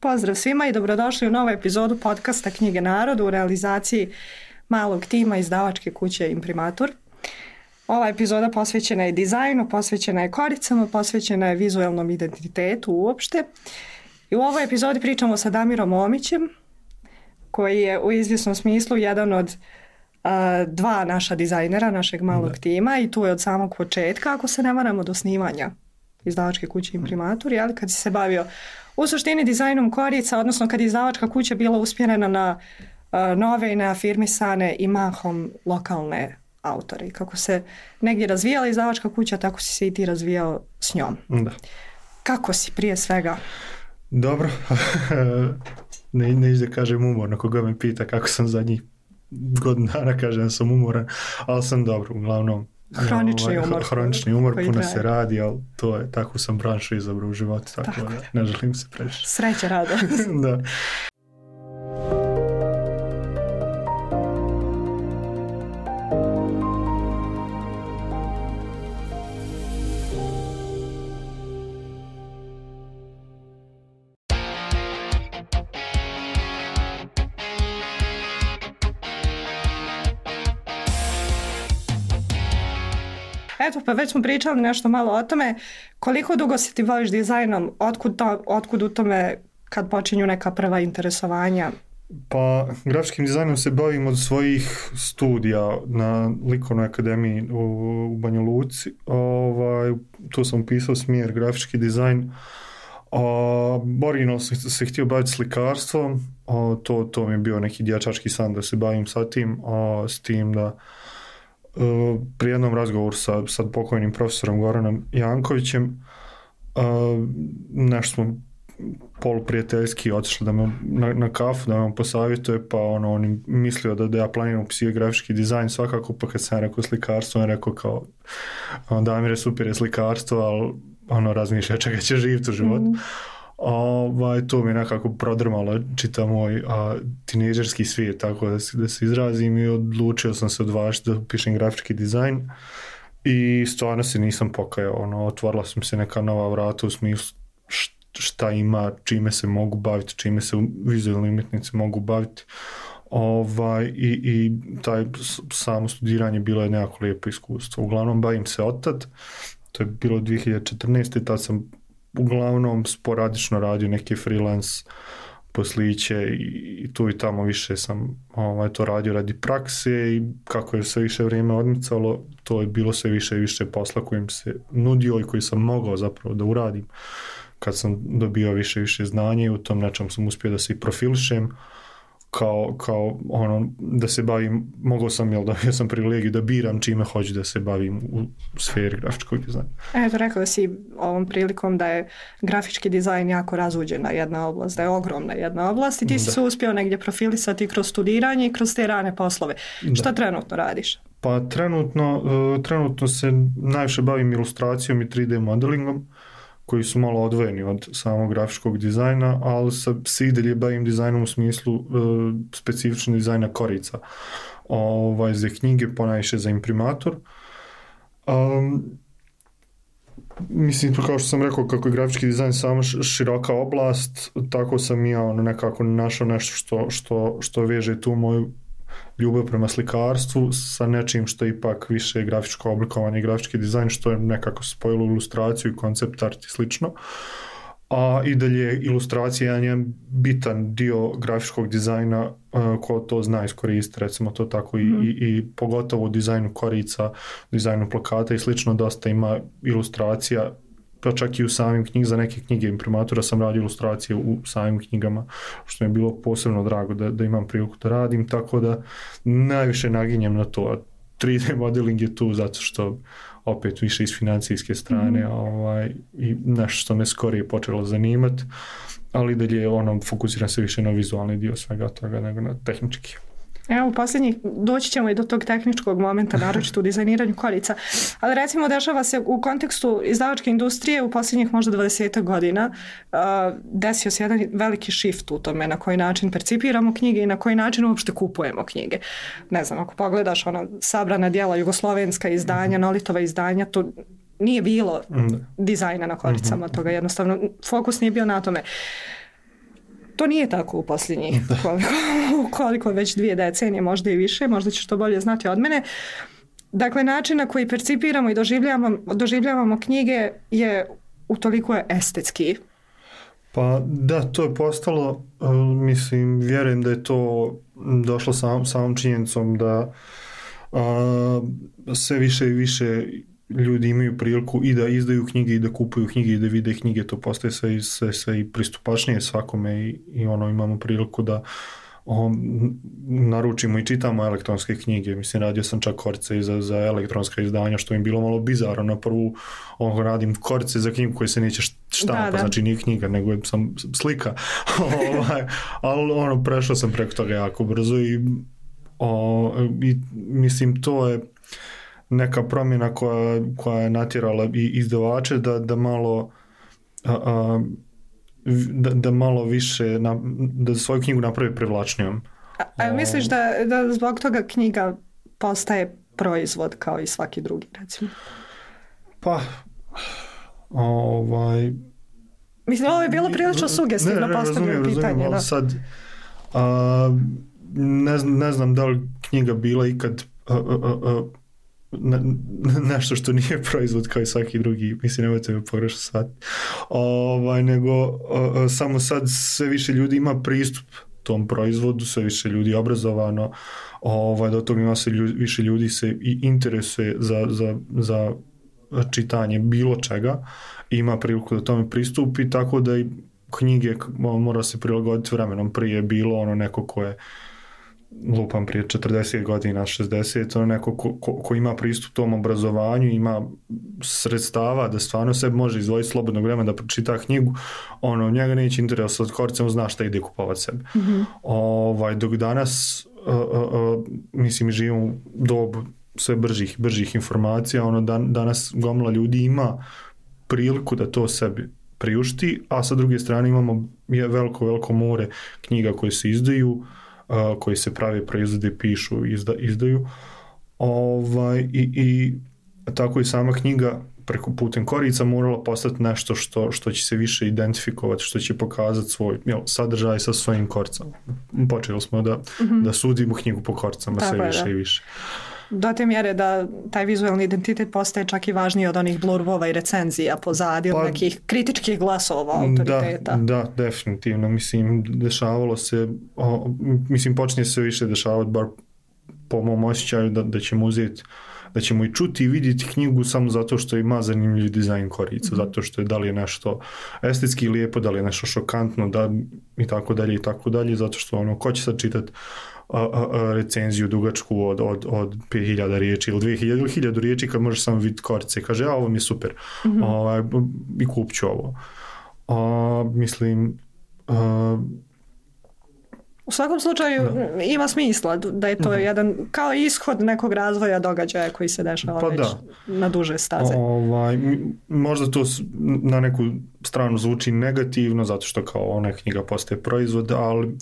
Pozdrav svima i dobrodošli u novu epizodu podcasta Knjige narodu u realizaciji malog tima izdavačke kuće Imprimatur. Ova epizoda posvećena je dizajnu, posvećena je koricama, posvećena je vizualnom identitetu uopšte. I u ovoj epizodi pričamo sa Damirom Omićem, koji je u izvjesnom smislu jedan od dva naša dizajnera, našeg malog tima, i tu je od samog početka, ako se ne varamo, do snimanja izdavačke kuće Imprimatur, ali kad si se bavio u suštini dizajnom korica, odnosno kad je izdavačka kuća bila usmjerena na nove i neafirmisane i mahom lokalne autore. I kako se negdje razvijala izdavačka kuća, tako si se i ti razvijao s njom. Da. Kako si prije svega? Dobro. Ne da kažem umorno, koga me pita kako sam zadnjih godinu dana, kažem da sam umoran, ali sam dobro, uglavnom. Hronični umor, puno traje. Se radi, ali to je, tako sam branšu izabrao u životu, tako da ne želim se previše. Sreće, rado. Da. Eto, pa već smo pričali nešto malo o tome. Koliko dugo se ti baviš dizajnom? Otkud u tome kad počinju neka prva interesovanja? Pa, grafičkim dizajnom se bavim od svojih studija na Likovnoj akademiji u Banja Luci. Tu sam upisao smjer grafički dizajn. Originalno sam se htio baviti slikarstvom. To mi je bio neki dječački san da se bavim sa tim. S tim da pri jednom razgovoru sa pokojnim profesorom Goranom Jankovićem nešto smo poluprijateljski otišli da me na kafu, da me on posavjetuje, pa on je mislio da ja planiram upisivati grafički dizajn svakako, pa kad sam rekao slikarstvo, on je rekao kao Damire, super je slikarstvo, ali razmišlja čega će živjeti u životu. To mi je nekako prodrmalo čitav moj tinejdžerski svijet, tako da se izrazim, i odlučio sam se odvažiti da upišem grafički dizajn i stvarno se nisam pokajao. Otvorila sam se neka nova vrata u smislu šta ima, čime se mogu baviti, čime se vizualni umjetnici mogu baviti. I taj samo studiranje bilo je nekako lijepo iskustvo. Uglavnom bavim se otad, to je bilo 2014. Tad sam uglavnom sporadično radio neke freelance posliće i tu i tamo više sam to radio radi prakse, i kako je sve više vrijeme odmicalo, to je bilo sve više i više posla kojim se nudio i koji sam mogao zapravo da uradim kad sam dobio više i više znanja, i u tom nečem sam uspio da se i profilišem kao da se bavim, mogao sam, dobio sam privilegiju da biram čime hoću da se bavim u sferi grafičkog dizajna. Eto, rekao si ovom prilikom da je grafički dizajn jako razuđena jedna oblast, da je ogromna jedna oblast, i ti si se uspio negdje profilisati kroz studiranje i kroz te rane poslove. Da. Šta trenutno radiš? Pa trenutno se najviše bavim ilustracijom i 3D modelingom, koji su malo odvojeni od samog grafičkog dizajna, ali se i dalje bavim dizajnom u smislu specifičnog dizajna korica. Za knjige, ponajviše za Imprimatur. Mislim, kao što sam rekao, kako je grafički dizajn samo široka oblast, tako sam ja nekako našao nešto što veže tu moju ljubav prema slikarstvu sa nečim što je ipak više grafičko oblikovanje i grafički dizajn, što je nekako spojilo ilustraciju i koncept art i slično. A i dalje ilustracija je jedan bitan dio grafičkog dizajna, ko to zna iskoristiti, recimo to tako, i pogotovo u dizajnu korica, dizajnu plakata i slično, dosta ima ilustracija, pa čak i u samim knjigama. Za neke knjige Imprimatura sam radio ilustracije u samim knjigama, što mi je bilo posebno drago da imam priliku da radim, tako da najviše naginjem na to. 3D modeling je tu zato što opet više iz financijske strane i nešto što me skorije počelo zanimati, ali dalje fokusiram se više na vizualni dio svega toga nego na tehnički. Evo, doći ćemo i do tog tehničkog momenta, naročito u dizajniranju korica, ali recimo dešava se u kontekstu izdavačke industrije u posljednjih možda 20 godina, desio se jedan veliki shift u tome na koji način percipiramo knjige i na koji način uopšte kupujemo knjige. Ne znam, ako pogledaš sabrana djela, jugoslovenska izdanja, Nolitova izdanja, to nije bilo dizajna na koricama, toga jednostavno fokus nije bio na tome. To nije tako u posljednjih koliko već 2 decenije, možda i više, možda ćeš to bolje znati od mene. Dakle, način na koji percipiramo i doživljavamo knjige je utoliko je estetski. Pa da, to je postalo, mislim, vjerujem da je to došlo samom činjenicom da sve više i više ljudi imaju priliku i da izdaju knjige i da kupuju knjige i da vide knjige, to postaje sve i pristupačnije svakome i imamo priliku da naručimo i čitamo elektronske knjige. Mislim, radio sam čak korice i za elektronska izdanja, što mi bilo malo bizarno. Na prvu radim korice za knjigu koje se neće štampa, znači nije knjiga, nego je sam slika. Ali prešao sam preko toga jako brzo i mislim, to je neka promjena koja je natjerala i izdavače da malo da malo više da svoju knjigu napravi privlačnijom. A misliš da zbog toga knjiga postaje proizvod kao i svaki drugi, recimo? Pa mislim, ovo je bilo prilično sugestivno postavljeno pitanje. Ali sad ne znam da li knjiga bila ikad nešto što nije proizvod kao i svaki drugi, mislim, nemojte me pogrešno sad, nego samo sad sve više ljudi ima pristup tom proizvodu, sve više ljudi je obrazovano, do toga ima sve više ljudi se i interesuje za čitanje bilo čega, ima priliku da tome pristupi, tako da i knjige mora se prilagoditi vremenom. Prije je bilo neko ko je lupam prije 40 godina, 60, neko ko ima pristup tom obrazovanju, ima sredstava da stvarno se može izdvojiti slobodnog vremena da pročita knjigu, njega neće interesovati koricom, zna šta ide kupovati sebe. Mm-hmm. Dok danas mislim, živimo u dobu sve bržih informacija, danas gomila ljudi ima priliku da to sebi priušti, a sa druge strane imamo veliko more knjiga koje se izdaju, koji se prave, proizvode, pišu, izdaju. I tako i sama knjiga preko putem korica morala postati nešto što će se više identifikovati, što će pokazati svoj sadržaj sa svojim koricama. Počeli smo da sudimo knjigu po koricama sve više i više. Do te mjere da taj vizualni identitet postaje čak i važniji od onih blurbova i recenzija pozadi, od nekih kritičkih glasova autoriteta. Da, definitivno. Mislim, dešavalo se, počinje se više dešavati, bar po mom osjećaju, da ćemo uzeti, da ćemo i čuti i vidjeti knjigu samo zato što ima zanimljiv dizajn korica, zato što je da li je nešto estetski lijepo, da li je nešto šokantno, i tako dalje, zato što ko će sad čitati recenziju dugačku od 5000 riječi ili 2000 ili 1000 riječi kad možeš samo vidjeti korice i kaže, ovo mi je super, i kupit ću ovo. Mislim, u svakom slučaju ima smisla da je to jedan kao ishod nekog razvoja događaja koji se dešava već na duže staze. Možda to na neku stranu zvuči negativno, zato što kao ona knjiga postaje proizvod, ali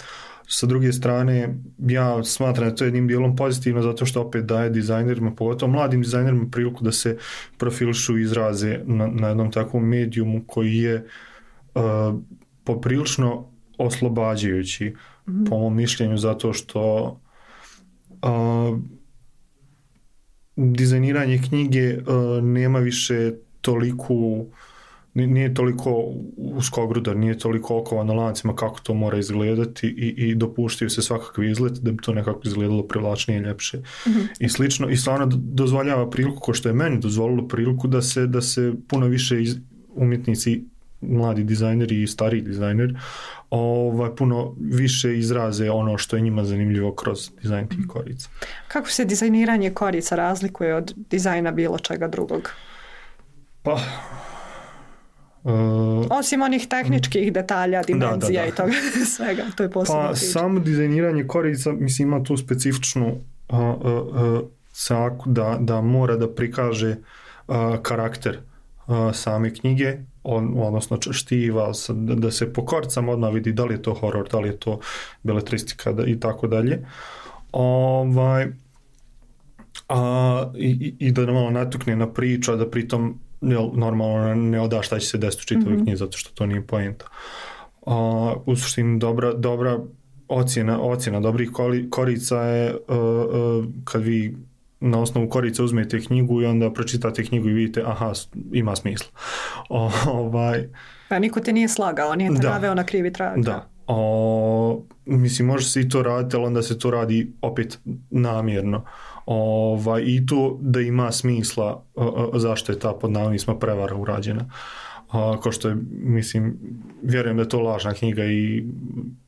sa druge strane ja smatram da to je jednim dijelom pozitivno, zato što opet daje dizajnerima, pogotovo mladim dizajnerima, priliku da se profilišu i izraze na jednom takvom medijumu koji je poprilično oslobađajući, po mom mišljenju, zato što dizajniranje knjige nema više toliku, nije toliko uskogrudar, nije toliko okovan na lancima kako to mora izgledati i dopuštaju se svakakvi izgled da bi to nekako izgledalo privlačnije i ljepše. I slično, i stvarno dozvoljava priliku, ko što je meni dozvolilo priliku da se puno više umjetnici, mladi dizajneri i stariji dizajneri, puno više izraze ono što je njima zanimljivo kroz dizajn tih korica. Kako se dizajniranje korica razlikuje od dizajna bilo čega drugog? Pa osim onih tehničkih detalja, dimenzija i toga svega, to je posebno priča. Samo dizajniranje korica, mislim, ima tu specifičnu caku da mora da prikaže karakter same knjige, odnosno štiva, da se po koricama odmah vidi da li je to horor, da li je to beletristika i tako dalje. I da malo natukne na priču, a da pritom normalno ne oda šta će se desiti u čitavoj knjizi, zato što to nije poenta. U suštini dobra ocjena dobrih korica je kad vi na osnovu korica uzmete knjigu i onda pročitate knjigu i vidite, aha, ima smisla. Pa niko te nije slagao, nije te naveo na krivi trag. Da. Mislim, može se i to raditi, ali onda se to radi opet namjerno. I to da ima smisla zašto je ta pod navodnicima prevara urađena. Ko što je, mislim, vjerujem da je to lažna knjiga i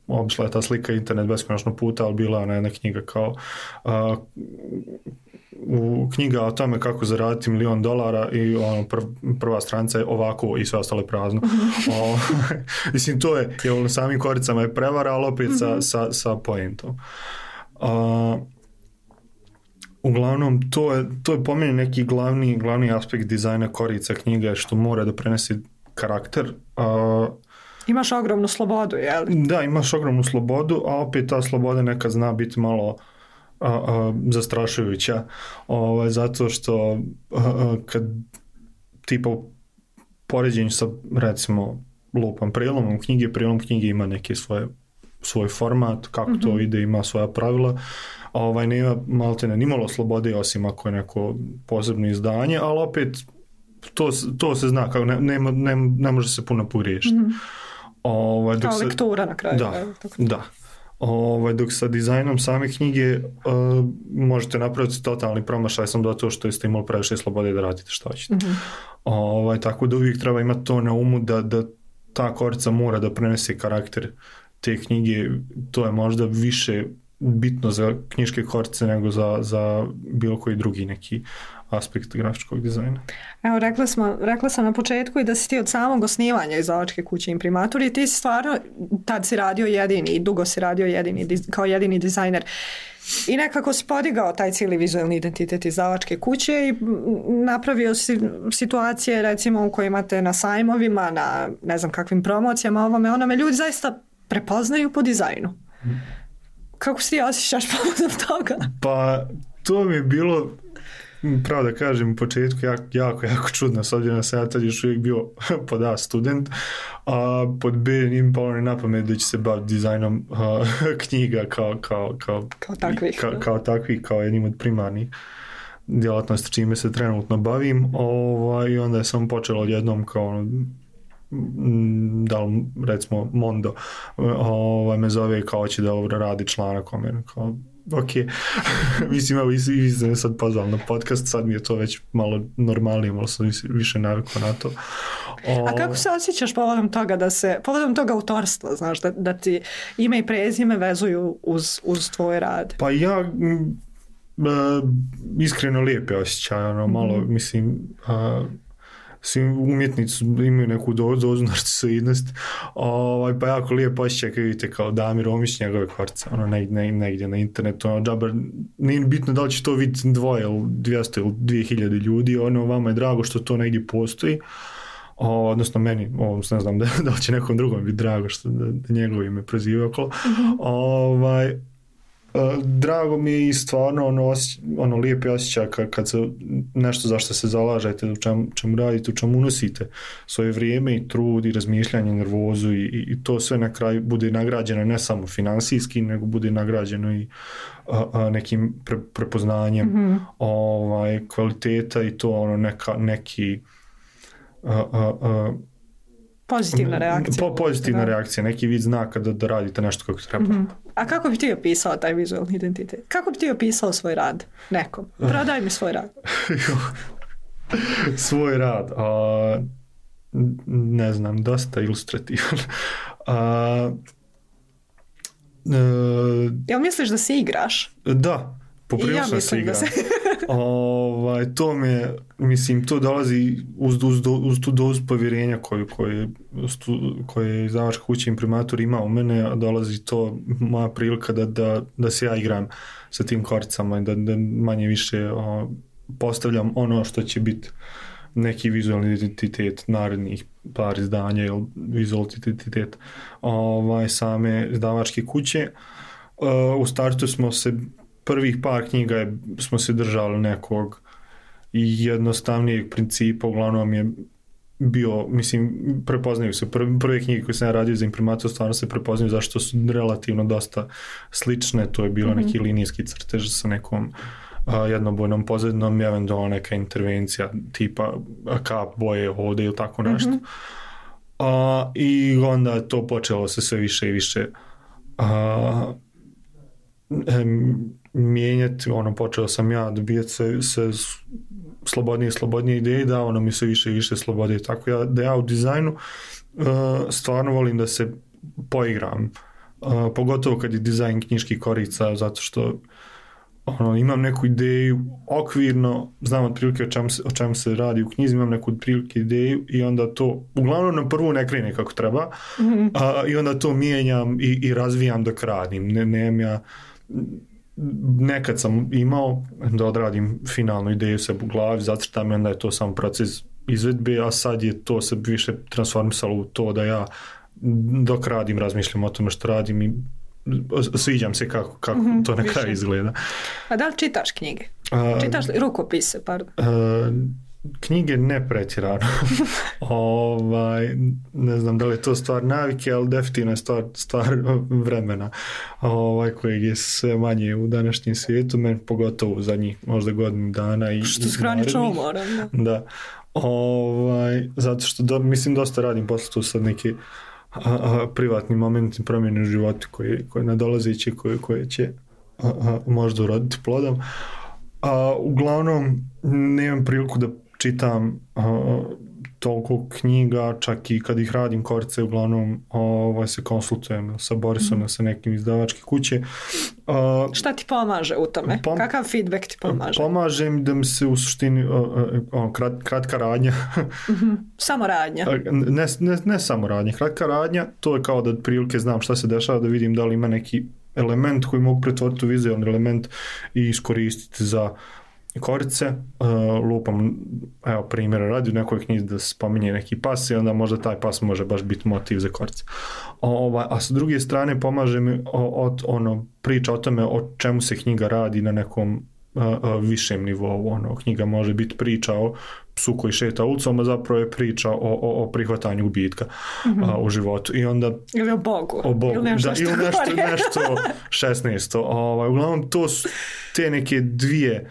obišla je ta slika internet beskonačno puta, ali bila je ona jedna knjiga kao knjiga o tome kako zaraditi $1.000.000 i prva stranica je ovako i sve ostalo je prazno. Mislim, to je na samim koricama je prevara, ali opet sa poentom. Uglavnom, to je po meni neki glavni aspekt dizajna korica knjige, što mora da prenesi karakter. Imaš ogromnu slobodu, je li? Da, imaš ogromnu slobodu, a opet ta sloboda nekad zna biti malo zastrašujuća, zato što kad tipa poređenju sa, recimo, lupam prilomom knjige ima neki svoj format, kako to ide, ima svoja pravila. Nema maltene nimalo slobode, osim ako je neko posebno izdanje, ali opet to se zna, kako ne može se puno pogriješiti. Kao lektura na kraju. Da. Dok sa dizajnom same knjige možete napraviti totalni promašaj sam do toho što ste imali previše slobode da radite što hoćete. Tako da uvijek treba imati to na umu da ta korica mora da prenese karakter te knjige. To je možda više bitno za knjiške korice nego za bilo koji drugi neki aspekt grafičkog dizajna. Evo, rekla sam na početku i da si ti od samog osnivanja izdavačke kuće Imprimatur i ti si stvarno, tad si radio jedini i dugo si radio kao jedini dizajner. I nekako si podigao taj cijeli vizualni identitet izdavačke kuće i napravio si situacije, recimo, u kojima te na sajmovima, na ne znam kakvim promocijama, onome ljudi zaista prepoznaju po dizajnu. Kako se ti osjećaš povodom toga? Pa, to mi je bilo, pravo da kažem, u početku jako čudno, s obzirom da sam ja tad još uvijek bio pod A student, a pod B nije mi palo na pamet da će se baviti dizajnom knjiga kao takvih, kao jednim od primarnih djelatnosti čime se trenutno bavim. I onda je sam počelo odjednom kao da li, recimo, Mondo me zove kao će da radi članak o mene, kao ok, mislim, evo, vi ste me sad pozvali na podcast, sad mi je to već malo normalnije, malo sam više navikao na to. A kako se osjećaš povodom toga autorstva, znaš, da ti ime i prezime vezuju uz tvoj rad? Pa ja iskreno lijepe osjećaj, malo, mislim, svi umjetnici imaju neku dozu narcisoidnosti, pa jako lijepo osjećaj kad vidite kao Damir Omić njegove kvarce, negdje na internetu, džabar, nije bitno da li će to vidjeti 200 ili 200 ili 2000 ljudi, vama je drago što to negdje postoji, odnosno meni, ne znam da li će nekom drugom biti drago što da njegovo ime proziva okolo, drago mi je i stvarno lijepi osjećaj kad se nešto za što se zalažete, u čemu radite, u čemu unosite svoje vrijeme i trud i razmišljanje, nervozu i to sve na kraju bude nagrađeno ne samo finansijski, nego bude nagrađeno i nekim prepoznanjem kvaliteta i to neki pozitivna reakcija. Pozitivna reakcija, neki vid znaka da radite nešto kako treba. A kako bi ti opisao taj vizualni identitet? Kako bi ti opisao svoj rad nekom? Prodaj mi svoj rad. Svoj rad? Ne znam, dosta ilustrativan. Jel misliš da se igraš? Da, poprilično se igram. To mi, mislim, to dolazi uz tu dozu povjerenja koje izdavačka kuća Imprimatur ima u mene, a dolazi to moja prilika da se ja igram sa tim koricama i da manje više postavljam ono što će biti neki vizualni identitet narednih par izdanja ili vizualni identitet same izdavačke kuće. U startu smo se prvih par knjiga smo se držali nekog jednostavnijeg principa, uglavnom je bio, mislim, prepoznaju se. Prve knjige koje sam ja radio za imprimator stvarno se prepoznaju zašto su relativno dosta slične. To je bilo neki linijski crtež sa nekom jednobojnom pozadinom, eventualno neka intervencija tipa kap boje ovdje ili tako nešto. I onda je to počelo se sve više i više mijenjati, počeo sam ja dobijati se slobodnije ideje, davano mi se više i više slobode, tako da ja u dizajnu stvarno volim da se poigram, pogotovo kad je dizajn knjiških korica, zato što imam neku ideju okvirno, znam otprilike o čemu se radi u knjizi, imam neku otprilike ideju i onda to uglavnom na prvu ne krene kako treba, i onda to mijenjam i razvijam dok radim. Nekad sam imao da odradim finalnu ideju se u glavi, zacrtam i onda je to samo proces izvedbe, a sad je to se više transformisalo u to da ja dok radim razmišljam o tome što radim i sviđam se kako to na kraju izgleda. A da li čitaš knjige? Čitaš li rukopise, pardon? Knjige ne pretjerano. Ne znam da li je to stvar navike, ali definitivno je stvar vremena kojeg je sve manje u današnjem svijetu, meni pogotovo u zadnjih možda godinu dana. Što s hranično umoran. Da. Zato što mislim dosta radim posle tu sad neke privatni momenti promjene u životu koje nadolazeće, koje će možda uroditi plodom. Uglavnom nemam priliku da čitam toliko knjiga, čak i kad ih radim korice, uglavnom se konsultujem sa Borisom, sa nekim izdavačke kuće. Šta ti pomaže u tome? Kakav feedback ti pomaže? Pomaže mi da mi se u suštini kratka radnja. Samo radnja? Ne samo radnja. Kratka radnja, to je kao da otprilike znam šta se dešava, da vidim da li ima neki element koji mogu pretvoriti u vizualni element i iskoristiti za korice. Lupam, evo primjera radi u nekoj knjizi da se spominje neki pas i onda možda taj pas može baš biti motiv za korice. A sa druge strane pomaže mi priča o tome o čemu se knjiga radi na nekom višem nivou. Knjiga može biti priča o psu koji šeta ulicom, a zapravo je priča o prihvatanju gubitka u životu. I onda, ili o Bogu. Ili nešto 16. Uglavnom to su te neke dvije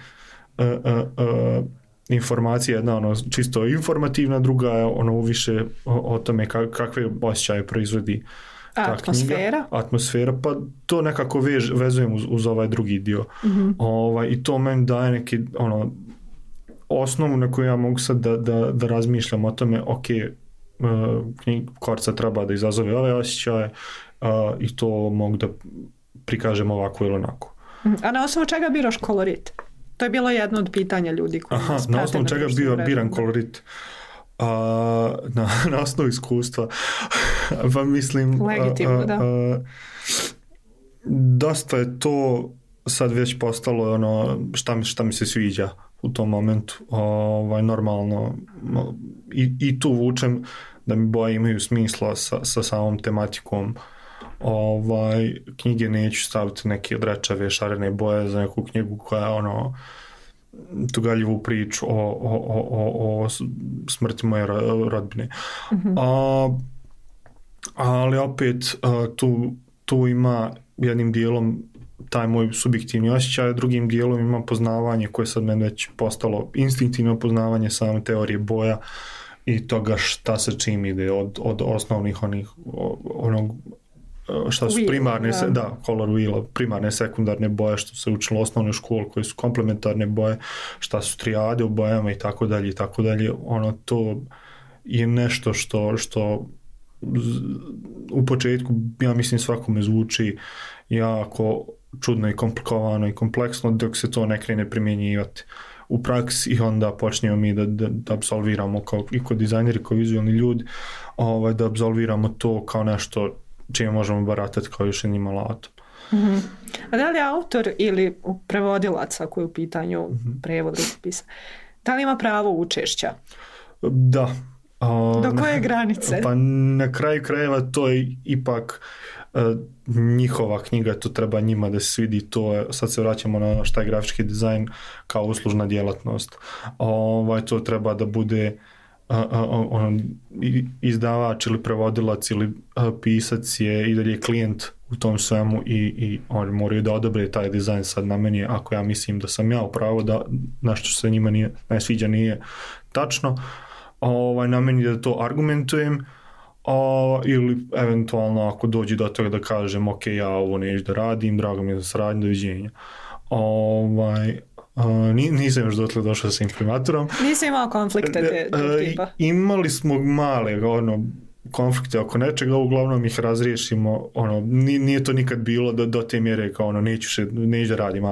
informacije, jedna čisto informativna, druga je više o tome kakve osjećaje proizvodi ta knjiga. Atmosfera, pa to nekako vezujem uz ovaj drugi dio. I to meni daje neki osnovu na koju ja mogu sad da razmišljam o tome, korica treba da izazove ove osjećaje i to mogu da prikažem ovako ili onako. A na osnovu čega biraš kolorit? To je bilo jedno od pitanja ljudi koji nas prate. Na osnovu čega biram kolorit? Na osnovu iskustva. Pa mislim... Legitimno, da. Dosta je to sad već postalo šta mi se sviđa u tom momentu. Normalno. I tu vučem da mi boje imaju smisla sa samom tematikom. Knjige neću staviti neke odrečave šarene boje za neku knjigu koja je tugaljivu priču o smrti moje rodbine. Ali opet tu ima jednim dijelom taj moj subjektivni osjećaj, drugim dijelom ima poznavanje koje sad meni već postalo instinktivno poznavanje same teorije boja i toga šta se čim ide od osnovnih šta su primarne, color wheel, primarne, sekundarne boje, što se učilo u osnovnoj školi, koje su komplementarne boje, šta su trijade u bojama i tako dalje i tako dalje. To je nešto što u početku, ja mislim, svakome zvuči jako čudno i komplikovano i kompleksno dok se to ne krene primjenjivati u praksi i onda počnemo mi da apsolviramo i kod dizajneri, kao vizualni ljudi, da apsolviramo to kao nešto čime možemo baratati kao još jednim alatom. A da li je autor ili prevodilac, ako je u pitanju prevod rukopisa, da li ima pravo učešća? Da. Do koje granice? Pa na kraju krajeva to je ipak njihova knjiga, to treba njima da se svidi, sad se vraćamo na šta je grafički dizajn kao uslužna djelatnost. To treba da bude izdavač ili prevodilac ili pisac je i dalje klijent u tom svemu i oni moraju da odobre taj dizajn. Sad na meni, ako ja mislim da sam ja upravo da nešto što se njima ne sviđa nije tačno, na meni da to argumentujem, ili eventualno ako dođe do toga da kažem ok, ja ovo neću da radim, drago mi je za saradnju, doviđenja. Nisam još dotle došao sa imprimatorom. Nisi imao konflikte tog tipa? Imali smo male konflikte oko nečega, uglavnom ih razriješimo, nije to nikad bilo do te mjere kao neću da radim,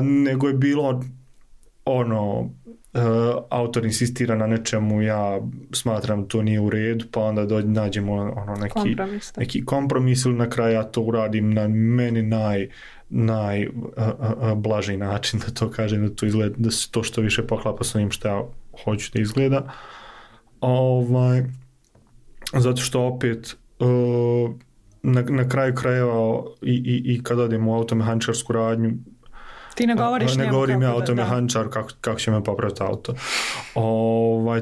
nego je bilo autor insistira na nečemu, ja smatram to nije u redu, pa onda nađemo neki kompromis ili na kraju ja to uradim na meni najblaži način, da to kažem, da to izgleda, da se to što više poklapa sa onim što ja hoću da izgleda. Zato što opet na kraju krajeva i kad odem u automehaničarsku radnju, ti ne govoriš ne govorim ja automehaničar kako će me popraviti auto.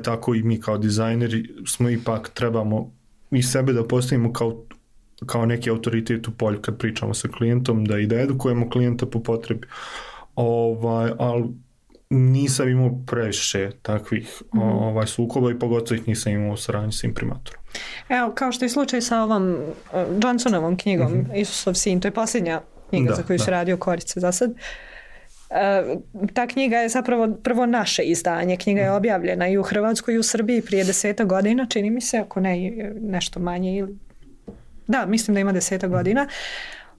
Tako i mi kao dizajneri smo ipak trebamo i sebe da postavimo kao neki autoritet u polju kad pričamo sa klijentom, da edukujemo klijenta po potrebi. Ali nisam imao previše takvih sukoba i pogotovo ih nisam imao u saradnji sa imprimatorom. Evo, kao što je slučaj sa ovom Johnsonovom knjigom Isusov sin, to je posljednja knjiga za koju se radio Korice za sad. Ta knjiga je zapravo prvo naše izdanje. Knjiga je objavljena i u Hrvatskoj i u Srbiji prije 10 godina, čini mi se, ako ne nešto manje ili... Da, mislim da ima 10 godina.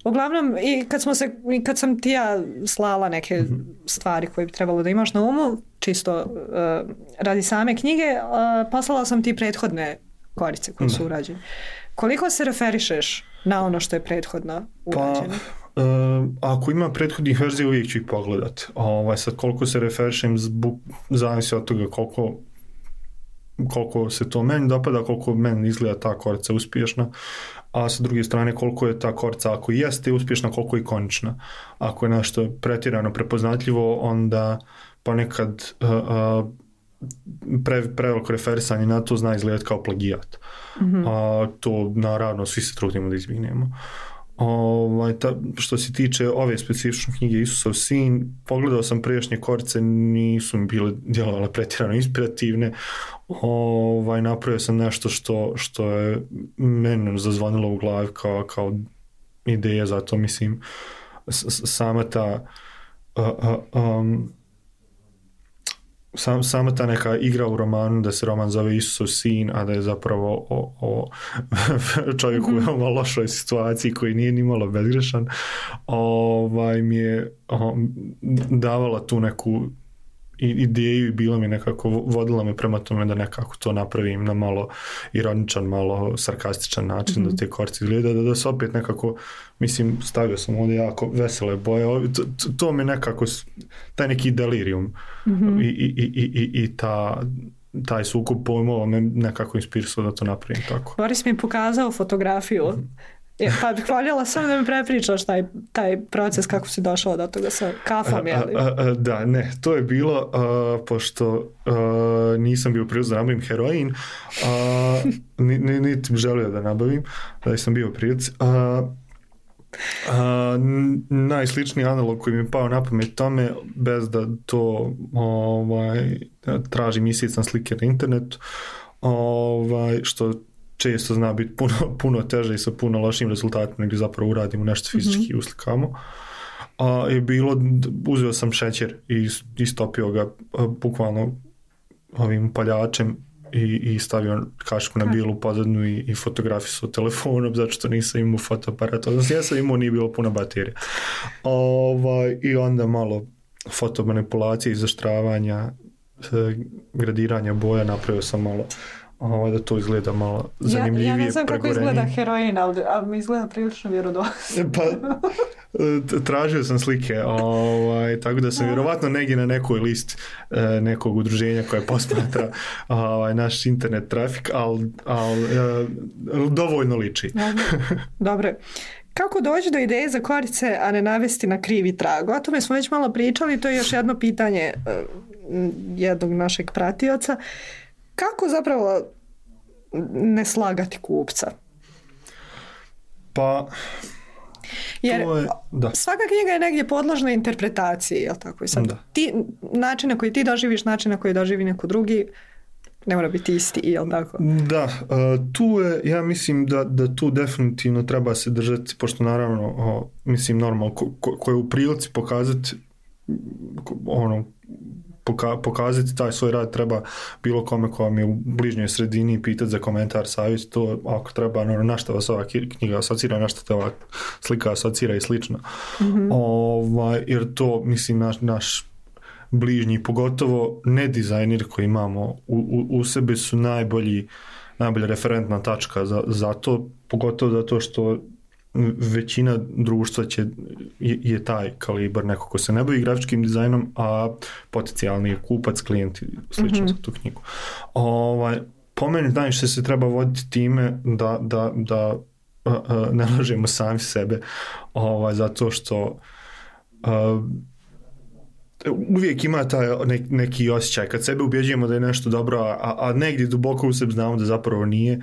Uglavnom, i kad sam ti ja slala neke stvari koje bi trebalo da imaš na umu, čisto radi same knjige, poslala sam ti prethodne Korice koje su urađene. Koliko se referišeš na ono što je prethodno urađeno? Ako ima prethodnih verzija, uvijek ću ih pogledati. Sad koliko se referišem, zavisi od toga koliko se to meni dopada, koliko meni izgleda ta Korica uspješna, a sa druge strane koliko je ta Korica, ako jeste uspješna, koliko je ikonična. Ako je nešto pretjerano prepoznatljivo, onda ponekad preveliko referisanje na to zna izgledati kao plagijat. To naravno svi se trudimo da izbjegnemo. Što se tiče ove specifične knjige Isusov sin, pogledao sam prijašnje Korice, nisu mi bile djelovale pretjerano inspirativne. Napravio sam nešto što je meni zazvonilo u glavi kao ideja, zato mislim sama ta sama ta neka igra u romanu, da se roman zove Isusov sin, a da je zapravo o čovjeku u veoma lošoj situaciji koji nije ni malo bezgrešan, mi je davala tu neku ideju i bila mi nekako, vodila me prema tome da nekako to napravim na malo ironičan, malo sarkastičan način, da te Korice izgleda, da se opet nekako, mislim, stavio sam ovdje jako vesele boje, to me nekako, taj neki delirium i taj sukob pojmova me nekako inspirisao da to napravim tako. Boris mi je pokazao fotografiju, pa bih voljela sam da mi prepričaš taj proces kako si došao do toga sa kafom, jeli? Da, ne, to je bilo pošto nisam bio prilično da nabavim heroin, niti želio da nabavim, da sam bio prilici. Najsličniji analog koji mi je pao na pamet tome, bez da to traži mjesecne slike na internetu, što često zna biti puno teže i sa puno lošim rezultatima nego zapravo uradimo nešto fizički i uslikamo. Je bilo, uzeo sam šećer i istopio ga bukvalno ovim paljačem i stavio kašku na bijelu pozadnu i fotografisao telefonom, zato što nisam imao fotoaparat. Odnosno, ja sam imao, nije bilo puno baterija. I onda malo fotomanipulacije, izaštravanja, gradiranja boja, napravio sam malo da to izgleda malo zanimljivije. Ja ne znam kako izgleda heroin, ali mi izgleda prilično vjerodostojno. Pa, tražio sam slike, tako da sam vjerovatno negdje na nekoj listi nekog udruženja koje posmatra naš internet trafik, ali dovoljno liči. Dobro. Kako doći do ideje za Korice, a ne navesti na krivi trag? O tome smo već malo pričali, to je još jedno pitanje jednog našeg pratioca. Kako zapravo ne slagati kupca? Pa... Jer svaka knjiga je negdje podložna interpretaciji, jel tako? I sad ti, način na koji ti doživiš, način na koji doživi neko drugi, ne mora biti isti, jel tako? Da, tu je, ja mislim da tu definitivno treba se držati, pošto naravno, mislim normalno, ko je u prilici pokazati pokazati taj svoj rad, treba bilo kome ko vam je u bližnjoj sredini pitati za komentar, savjet, to ako treba, na što vas ova knjiga asocira, na što te ova slika asocira i slično. Jer to, mislim, naš bližnji, pogotovo ne dizajneri koji imamo u sebi su najbolja referentna tačka za to, pogotovo zato što većina društva je taj kalibar, neko ko se ne bavi grafičkim dizajnom, a potencijalni kupac, klijent i slično za tu knjigu. Po meni najviše se treba voditi time da ne lažemo sami sebe, zato što uvijek ima taj neki osjećaj kad sebe ubjeđujemo da je nešto dobro, a negdje duboko u sebi znamo da zapravo nije.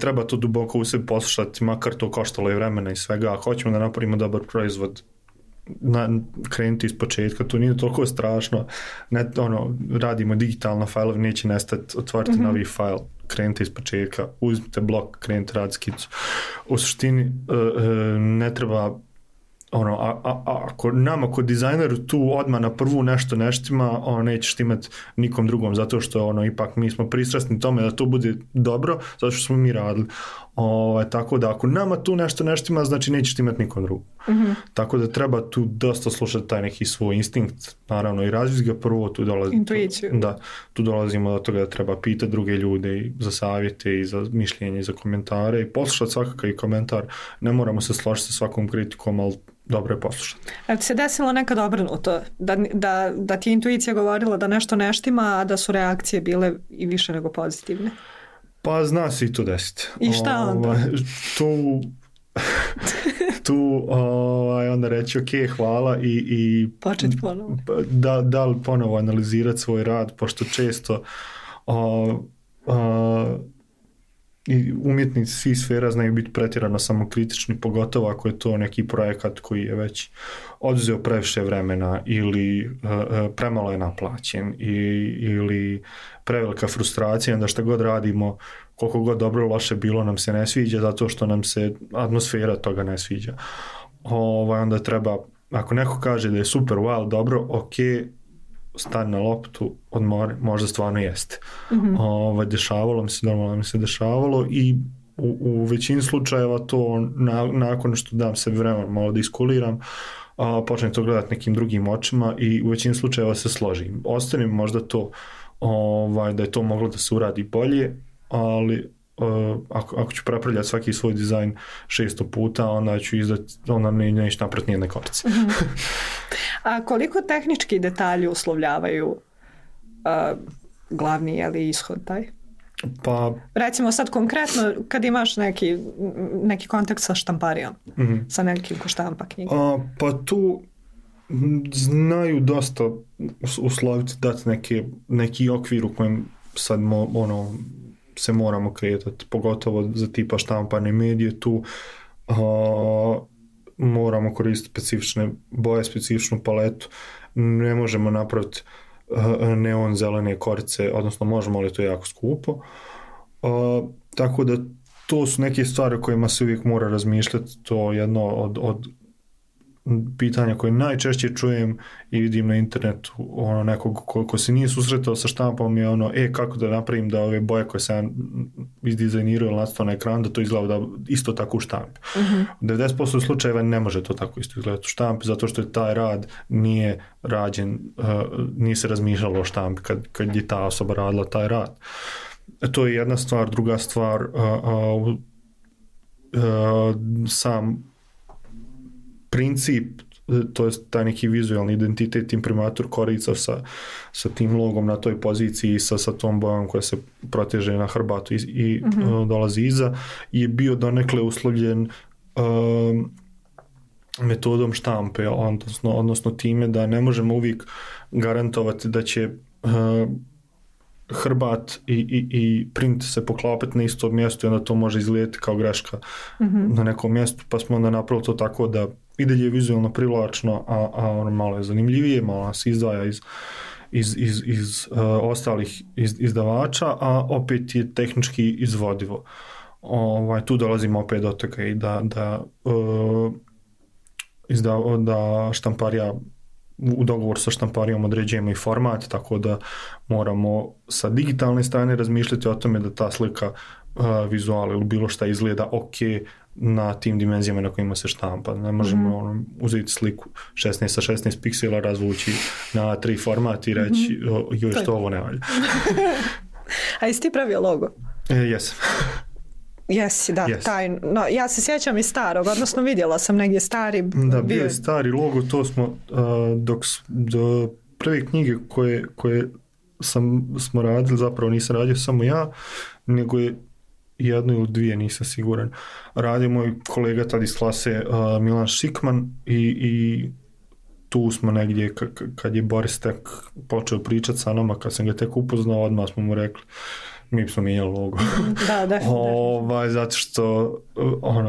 Treba to duboko u sebi poslušati, makar to koštalo i vremena i svega. Ako hoćemo da napravimo dobar proizvod, krenuti iz početka, to nije toliko strašno. Radimo digitalno fajlove, neće nestati, otvoriti novi fajl, krenite iz početka, uzmite blok, krenite raditi skicu. U suštini ne treba ako nama kod dizajneru tu odmah na prvu nešto neštima, nećeš imati nikom drugom, zato što ipak mi smo pristrasni tome da to bude dobro, zato što smo mi radili. Tako da ako nama tu nešto neštima, znači nećeš imati nikom drugom. Tako da treba tu dosta slušati taj neki svoj instinkt, naravno i razviti ga prvo, intuiciju. Tu dolazimo do toga da treba pitati druge ljude i za savjete i za mišljenje i za komentare i poslušati svakakav komentar. Ne moramo se složiti sa svakom kritikom, ali dobro je poslušati. A ti se desilo nekad obrnuto? Da ti je intuicija govorila da nešto neštima, a da su reakcije bile i više nego pozitivne? Pa zna se i to desiti. I šta onda? Tu onda reći ok, hvala i početi ponovo. Da li ponovo analizirati svoj rad, pošto često i umjetnici svih sfera znaju biti pretjerano samokritični, pogotovo ako je to neki projekat koji je već oduzeo previše vremena ili premalo je naplaćen ili prevelika frustracija, onda šta god radimo, koliko god dobro loše bilo nam se ne sviđa zato što nam se atmosfera toga ne sviđa. Onda treba, ako neko kaže da je super, wow, dobro, ok, stani na loptu, odmori, možda stvarno jeste. Dešavalo mi se, normalno mi se dešavalo i u većini slučajeva to nakon što dam sebi vremena malo da iskuliram, počnem to gledati nekim drugim očima i u većini slučajeva se složim. Ostane možda to da je to moglo da se uradi bolje, ali ako ću prepravljati svaki svoj dizajn 600 puta, onda ću onda neću napraviti nijedne korice. A koliko tehnički detalji uslovljavaju glavni ishod taj? Pa... Recimo sad konkretno kad imaš neki kontakt sa štamparijom, sa nekim ko štampa knjige. Pa tu znaju dosta usloviti, dati neki okvir u kojem sad se moramo kretati, pogotovo za tipa štampane medije, tu moramo koristiti specifične boje, specifičnu paletu, ne možemo napraviti neon zelene korice, odnosno možemo, ali to je jako skupo. Tako da to su neke stvari o kojima se uvijek mora razmišljati, to je jedno od pitanja koje najčešće čujem i vidim na internetu, nekog ko se nije susretao sa štampom je kako da napravim da ove boje koje sam izdizajnirao ili nacrtao na ekran, da to izgleda isto tako u štampi. U 90% slučajeva ne može to tako isto izgledati u štampi, zato što je taj rad nije rađen, nije se razmišljalo o štampi kad je ta osoba radila taj rad. To je jedna stvar. Druga stvar, sam princip, to je taj neki vizualni identitet, imprimatur korica sa tim logom na toj poziciji, sa tom bojom koja se proteže na hrbatu i dolazi iza, je bio donekle uslovljen metodom štampe, odnosno time da ne možemo uvijek garantovati da će hrbat i print se poklapati na isto mjesto i onda to može izgledati kao greška na nekom mjestu, pa smo onda napravili to tako da i dalje je vizualno privlačno, a ono malo je zanimljivije, malo nas izdvaja iz ostalih izdavača, a opet je tehnički izvodivo. Tu dolazimo opet do toga i da štamparija, u dogovoru sa štamparijom određujemo i format, tako da moramo sa digitalne strane razmišljati o tome da ta slika, vizual ili bilo šta izgleda ok na tim dimenzijama na kojima se štampa. Ne možemo uzeti sliku 16 sa 16 piksela, razvući na A3 format i reći joj što ovo ne valja. A jesi ti pravio logo? Jesam. Jesi, da, yes. No, ja se sjećam i starog, odnosno vidjela sam negdje stari. Da, bio je stari logo, to smo do prve knjige koje smo radili, zapravo nisam radio samo ja, nego je jedno ili dvije, nisam siguran. Radio moj kolega tad iz klase Milan Šikman i tu smo negdje, kad je Boris tek počeo pričati sa nama, kad sam ga tek upoznao, odmah smo mu rekli mi smo mijenjali logo. Da, definitivno. Zato što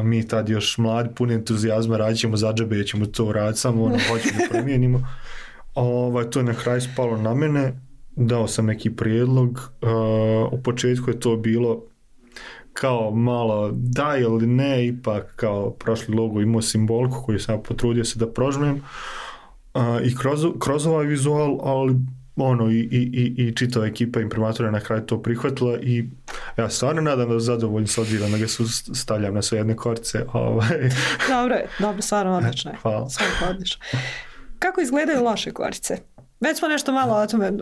mi tad još mladi, puni entuzijazma, radit ćemo za džabe, ćemo to raditi, samo hoćemo da promijenimo. To je na kraju spalo na mene, dao sam neki prijedlog, u početku je to bilo kao malo da ili ne, ipak kao prošli logo imao simboliku koju sam potrudio se da prožmem i kroz ovaj vizual, ali i čitava ekipa imprimatora na kraju to prihvatila i ja stvarno nadam da zadovoljno s obzirom da ga stavljam na sve jedne korice. Dobro, stvarno odlično je. Hvala. Odlično. Kako izgledaju loše korice? Već smo nešto malo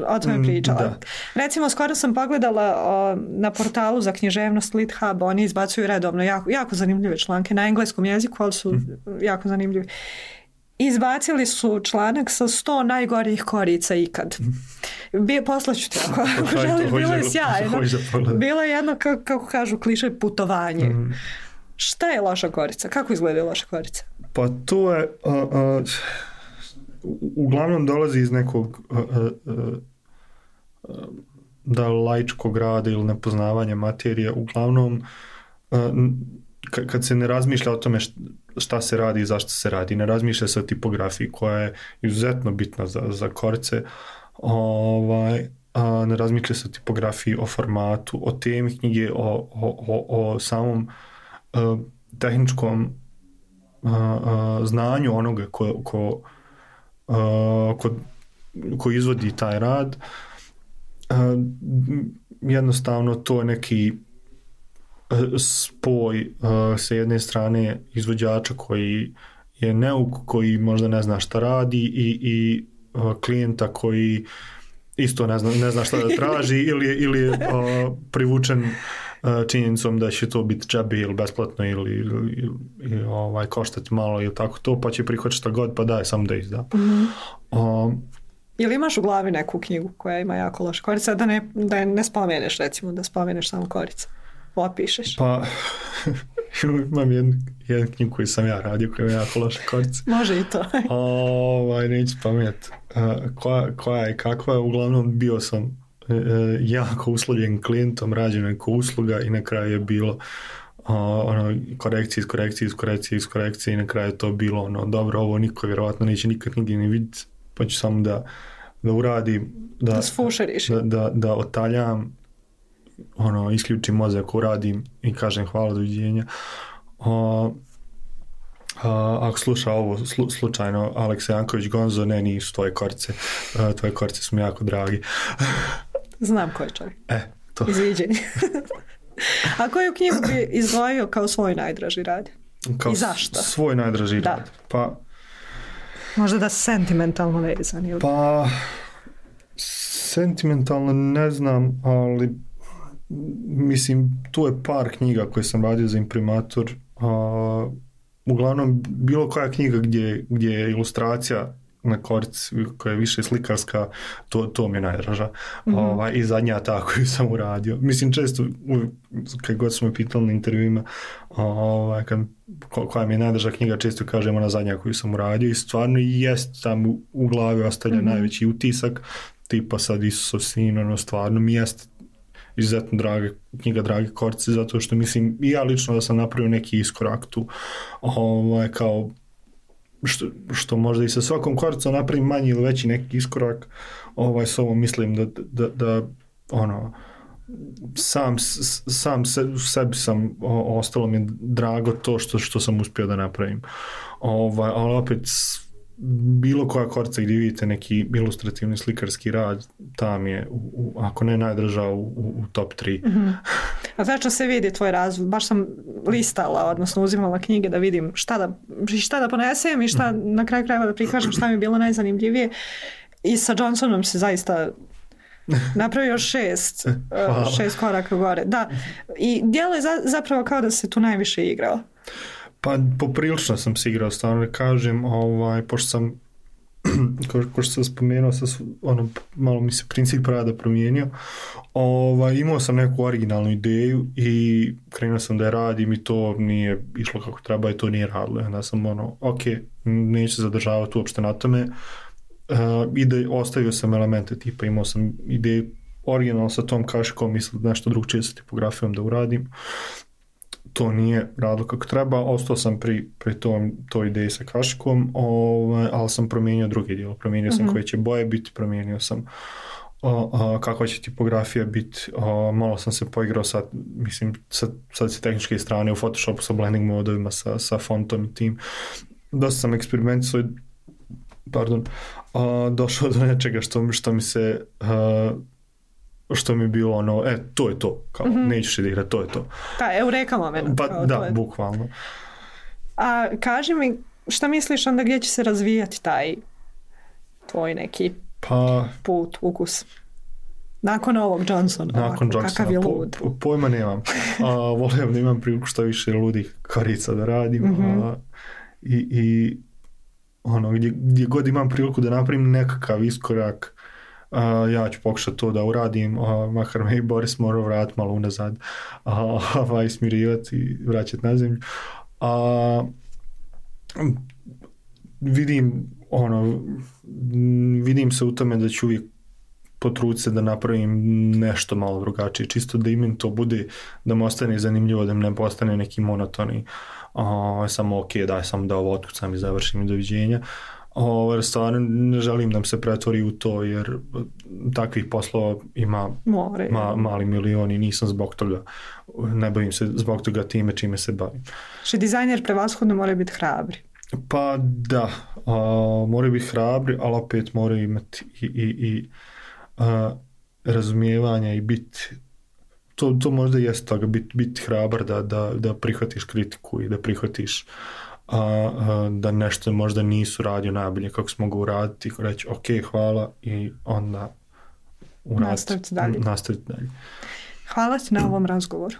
o tome pričali. Da. Recimo, skoro sam pogledala na portalu za književnost LitHub, oni izbacuju redovno jako zanimljive članke na engleskom jeziku, ali su jako zanimljivi. Izbacili su članak sa 100 najgorih korica ikad. Poslaću ti ako želiš, bilo je sjajno. Bilo je jedno, kako kažu kliše, putovanje. Šta je loša korica? Kako izgledaju loše korice? Pa to je uglavnom dolazi iz nekog da laičkog rada ili nepoznavanja materije. Uglavnom kad se ne razmišlja o tome šta se radi i zašto se radi, ne razmišlja se o tipografiji koja je izuzetno bitna za korice, ne razmišlja se o tipografiji, o formatu, o temi knjige, o samom tehničkom znanju onoga ko izvodi taj rad. Jednostavno to je neki spoj sa jedne strane izvođača koji je neuk, koji možda ne zna šta radi i klijenta koji isto ne zna šta da traži ili je privučen činjenicom da će to biti džabe ili besplatno ili koštati malo ili tako to, pa će prihvatiti šta god, pa daj sam da izda. Ili imaš u glavi neku knjigu koja ima jako loše korice, da ne spomeneš, recimo, da spomeneš samo korice? Opišeš. Pa imam jednu knjigu koju sam ja radio koja ima jako loše korice. Može i to. Neću spomenuti koja je kakva. Uglavnom bio sam jako uslovljen klijentom, rađena neka usluga i na kraju je bilo korekcije i na kraju je to bilo dobro, ovo niko vjerovatno neće nikad nigdje ni vidjeti, pa ću samo da uradim, da sfušeriš, da otaljam, isključim mozak, uradim i kažem hvala, doviđenja. Ako sluša ovo slučajno Aleksa Janković Gonzo, ne, nisu tvoje korice su mi jako dragi. Znam ko je čovjek. To. Izviđenje. A koju knjigu bi izdvojio kao svoj najdraži rad? I zašto? Svoj najdraži rad? Pa možda da sentimentalno vezan ili? Pa sentimentalno ne znam, ali mislim tu je par knjiga koje sam radio za imprimatur. Uglavnom bilo koja knjiga gdje je ilustracija na korici koja je više slikarska, to mi je najdraža. I zadnja ta koju sam uradio. Mislim često kad god smo pitali na intervjuima koja mi je najdraža knjiga, često kažem ona zadnja koju sam uradio i stvarno jest tam u glavi ostavlja najveći utisak. tipa sad Isusov sin, ono stvarno mi jeste izuzetno knjiga Drage Korice, zato što mislim i ja lično da sam napravio neki iskorak tu, kao što možda i sa svakom koricom napravim manji ili veći neki iskorak, s ovom mislim da ono, sam sebi sam, ostalo mi je drago to što sam uspio da napravim. Ali opet, bilo koja korica gdje vidite neki ilustrativni slikarski rad, tam je, ako ne najdraža, u top 3. Mm-hmm. A znači se vidi tvoj razvoj? Baš sam listala, odnosno uzimala knjige da vidim šta da ponesem i šta na kraju krajeva da prikažem, šta mi je bilo najzanimljivije. I sa Johnsonom se zaista napravio 6 koraka gore. Da. I djeluje zapravo kao da se tu najviše igrao. Pa poprilično sam se igrao, stvarno kažem, pošto sam ko što sam spomenuo, malo mi se princip rada promijenio, imao sam neku originalnu ideju i krenuo sam da je radim i to nije išlo kako treba i to nije radilo. Onda sam neću zadržavati uopšte na tome, i da ostavio sam elemente tipa, imao sam ideju originalno sa tom kašikom, mislim nešto drugčije sa tipografijom da uradim. To nije radilo kako treba, ostao sam pri toj ideji sa kašikom, ali sam promijenio drugi dio, promijenio sam koje će boje biti, promijenio sam kakva će tipografija biti, malo sam se poigrao sad sa tehničke strane u Photoshopu sa blending modovima, sa fontom i tim. Dosta sam eksperimentisao, došao do nečega što mi se... što mi je bilo ono, to je to, kao, nećeš da igrati, to je to. Da, eureka moment. Pa da, bukvalno. A kaži mi, šta misliš onda gdje će se razvijati taj tvoj neki put, ukus? Nakon ovog Johnsona, kakav je lud? Pojma nemam. Volim da imam priliku što više ludih korica da radim. I ono, gdje god imam priliku da napravim nekakav iskorak, ja ću pokušati to da uradim, makar me i Boris morao vratiti malo unazad, smirivati i vraćati na zemlju. Vidim se u tome da ću uvijek potruditi se da napravim nešto malo drugačije, čisto da im to bude, da mu ostane zanimljivo, da mi ne postane neki monotoni, samo daj sam da ovo otkucam i završim i doviđenja. Stvarno ne želim da mi se pretvori u to, jer takvih poslova ima mali milion i nisam zbog toga, ne bavim se zbog toga time čime se bavim. Što dizajner prevashodno mora biti hrabri. Pa da, mora biti hrabri, ali opet mora imati i razumijevanja i biti, to možda jeste toga, biti hrabar da prihvatiš kritiku i da prihvatiš da nešto možda nisu radio najbolje kako smo ga uraditi, reći hvala i onda nastaviti dalje. Hvala ti na ovom razgovoru.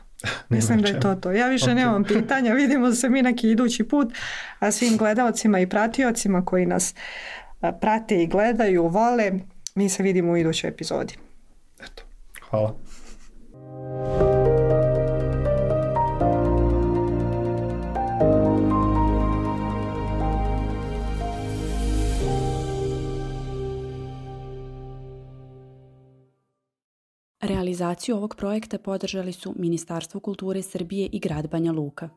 Mislim da je to. Ja više nemam pitanja, vidimo se mi neki idući put, a svim gledalcima i pratiocima koji nas prate i gledaju, vole, mi se vidimo u idućoj epizodi. Eto, hvala. Realizaciju ovog projekta podržali su Ministarstvo kulture Srbije i grad Banja Luka.